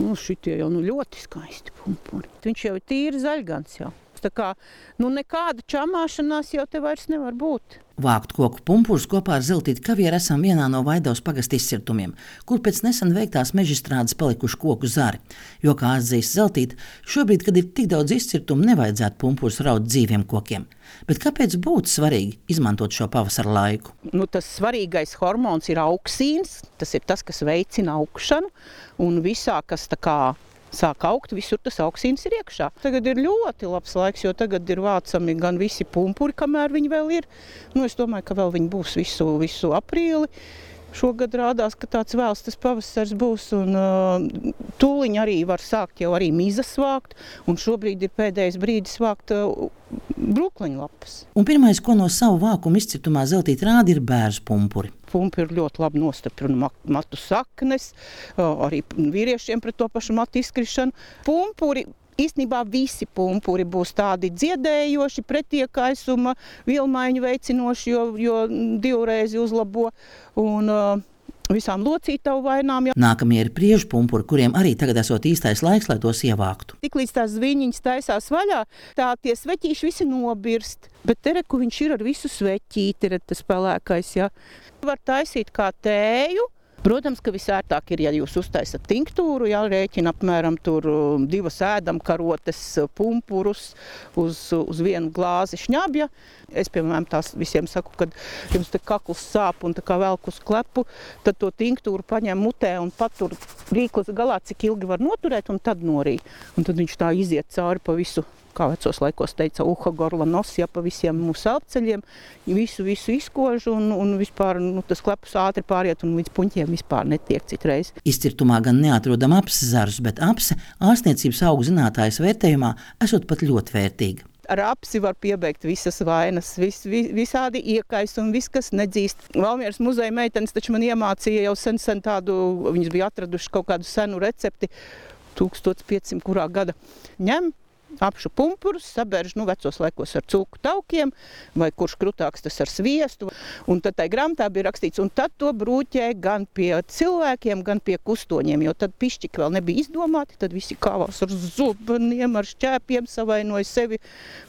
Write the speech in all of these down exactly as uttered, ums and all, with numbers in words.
Nu, šitie jau nu ļoti skaisti pumpuri. Viņš jau ir tīri zaļgans jau. Tā kā, nu nekāda čamāšanās jau te vairs nevar būt. Vākt koku pumpurus kopā ar Zeltīti Kavieru esam vienā no Vaidavas pagasta izcirtumiem, kur pēc nesen veiktās mežstrādes palikuši koku zari. Jo, kā atzīst Zeltīte, šobrīd, kad ir tik daudz izcirtumu, nevajadzētu pumpurus raut dzīviem kokiem. Bet kāpēc būtu svarīgi izmantot šo pavasara laiku? Nu, tas svarīgais hormons ir auksīns, tas ir tas, kas veicina augšanu, un visā, kas tā kā sāk augt, visur tas auksīns ir iekšā. Tagad ir ļoti labs laiks, jo tagad ir vācami gan visi pumpuri, kamēr viņi vēl ir. Nu, es domāju, ka vēl viņi būs visu, visu aprīli. Šogad rādās, ka tāds vēls tas pavasars būs, un uh, tūliņ arī var sākt jau arī mizas vākt, un šobrīd ir pēdējais brīdis vākt uh, brūkleņlapas. Un pirmais, ko no savu vākumu izcirtumā Zeltīte rāda, ir bērzu pumpuri. Pumpuri ir ļoti labi nostiprina matu saknes, uh, arī vīriešiem pret to pašu matu izkrišanu. Pumpuri īstenībā visi pumpuri būs tādi dziedējoši, pretiekaisuma, vielmaiņu veicinoši, jo, jo divreiz uzlabo un uh, visām locītavu vainām. Ja. Nākamie ir priežu pumpuri, kuriem arī tagad esot īstais laiks, lai tos ievāktu. Tiklīdz tās zviņiņas taisās vaļā, tā tie sveķīši visi nobirst. Bet te reku viņš ir ar visu sveķīti, ir tas pelēkais. Ja. Var taisīt kā tēju. Protams, ka visērtāk ir, ja jūs uztaisat tinktūru, jā, rēķina apmēram tur divas ēdamkarotes pumpurus uz, uz vienu glāzi šņabja. Es, piemēram, tās visiem saku, kad jums te kakls sāp un tā kā velk uz klepu, tad to tinktūru paņem mutē un patur rīklas galā, cik ilgi var noturēt, un tad norī. Un tad viņš tā iziet cauri pa visu, kā vecos laikos teica, uha, gorla, nos, ja pa visiem mūsu elpceļiem, visu, visu izkož un, un vispār nu, tas klepus ātri pāriet un līdz puņķiem vispār netiek citreiz. Izcirtumā gan neatrodam apses zarus, bet apse ārstniecības augu zinātājas vērtējumā esot pat ļoti vērtīga. Ar apsi var piebeigt visas vainas, vis, vis, visādi iekaisumi, viss, kas nedzīst. Valmieras muzeja meitenes taču man iemācīja jau sen, sen tādu, viņas bija atraduši kaut kādu senu recepti, tūkstoš piecsimt kurā gada. Ņem apšu pumpurus, sabērž, nu, vecos laikos ar cūku taukiem, vai kurš krutāks tas ar sviestu. Un tad tai grāmatā bija rakstīts, un tad to brūķē gan pie cilvēkiem, gan pie kustoņiem, jo tad pišķiki vēl nebija izdomāti, tad visi kāvās ar zubeniem, ar šķēpiem, savainoja sevi,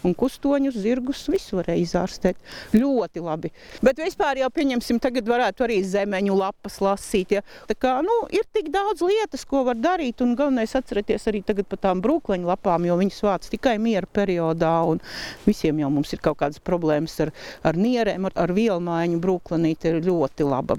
un kustoņus, zirgus, visu varēja izārstēt. Ļoti labi. Bet vispār jau, pieņemsim, tagad varētu arī zemeņu lapas lasīt, ja. Tā kā, nu, ir tik daudz lietas, ko var darīt, un galvenais atcerēties arī tagad par tām brūkleņu lapām, jo viņas vāc tikai miera periodā, un visiem jau mums ir kaut kādas problēmas ar, ar nierēm, ar, ar vielmaiņu brūklenīte ir ļoti laba.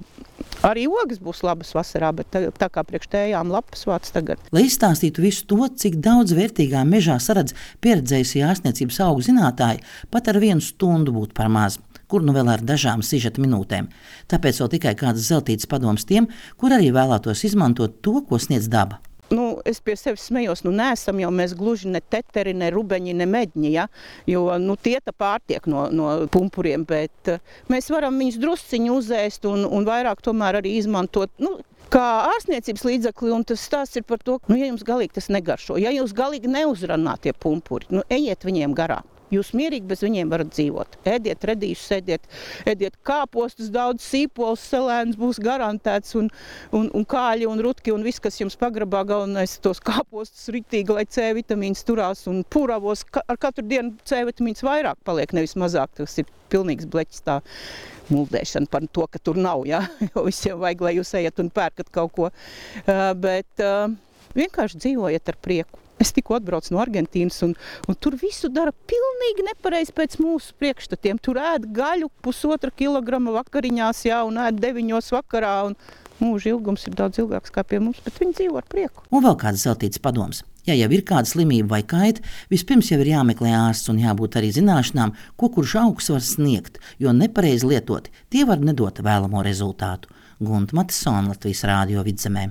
Arī ogas būs labas vasarā, bet tā, tā kā priekš tējām lapas vāc tagad. Lai izstāstītu visu to, cik daudz vērtīgā mežā saredz pieredzējusi ārstniecības augu zinātāji, pat ar vienu stundu būtu par maz, kur nu vēl ar dažām sižeta minūtēm. Tāpēc vēl tikai kādas Zeltītes padoms tiem, kur arī vēlētos izmantot to, ko sniedz daba. Nu, es pie sevis smējos, nu nesam jau mēs gluži ne teteri, ne rubeņi, ne meģņi, ja? Jo nu, tie tā pārtiek no, no pumpuriem, bet uh, mēs varam viņus drusciņu uzēst un, un vairāk tomēr arī izmantot, nu, kā ārstniecības līdzekli, un tas stāsts ir par to, nu, ja jums galīgi tas negaršo, ja jūs galīgi neuzrunā tie pumpuri, nu, ejiet viņiem garām. Jūs mierīgi bez viņiem varat dzīvot. Ēdiet redīšus, ēdiet, ēdiet kāpostus, daudz sīpols, selēns būs garantēts, un, un, un kāļi, un rutki, un viss, kas jums pagrabā, galvenais tos kāpostus ritīgi, lai C vitamīns turās, un puravos, ka, ar katru dienu C vitamīns vairāk paliek, nevis mazāk. Tas ir pilnīgs bleķis tā muldēšana par to, ka tur nav, ja? Jo visiem vajag, lai jūs ejat un pērkat kaut ko. Uh, bet uh, vienkārši dzīvojiet ar prieku. Es tikko atbraucu no Argentīnas, un, un tur visu dara pilnīgi nepareizi pēc mūsu priekšstatiem. Tur ēd gaļu pusotra kilograma vakariņās, jā, un ēd deviņos vakarā, un mūža ilgums ir daudz ilgāks kā pie mums, bet viņi dzīvo ar prieku. Un vēl kāds Zeltītes padoms. Ja jau ir kāda slimība vai kaita, vispirms jau ir jāmeklē ārsts un jābūt arī zināšanām, ko kurš augs var sniegt, jo nepareizi lietoti, tie var nedot vēlamo rezultātu. Gunta Matisone, Latvijas Rādio Vidzemē.